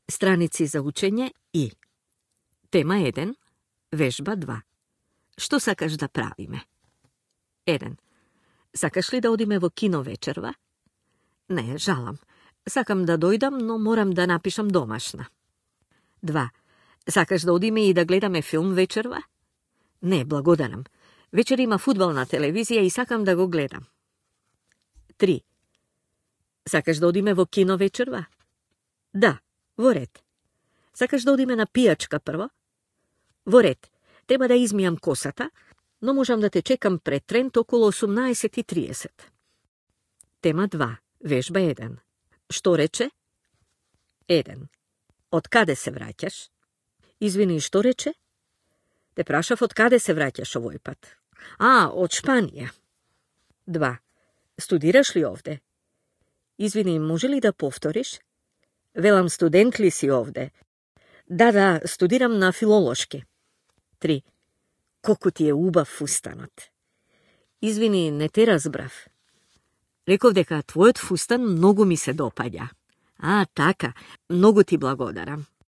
Страници за учење и. Тема 1, вежба 2. Што сакаш да правиме? 1. Сакаш ли да одиме во кино вечерва? Не, жалам. Сакам да дојдам, но морам да напишам домашна. 2. Сакаш да одиме и да гледаме филм вечерва? Не, благодарам. Вечер има фудбал на телевизија и сакам да го гледам. 3. Сакаш да одиме во кино вечерва? Да, во ред. Сакаш да одиме на пијачка прво? Во ред. Треба да измијам косата, но можам да те чекам пред Трент околу 18:30. Тема 2, вежба 1. Што рече? 1. Од каде се враќаш? Извини, што рече? Те прашав од каде се враќаш овој пат. Од Шпанија. 2. Студираш ли овде? Извини, може ли да повториш? Велам, студент ли си овде? Да, студирам на филолошки. 3. Колку ти е убав фустанот. Извини, не те разбрав. Реков дека твојот фустан многу ми се допаѓа. Така, многу ти благодарам.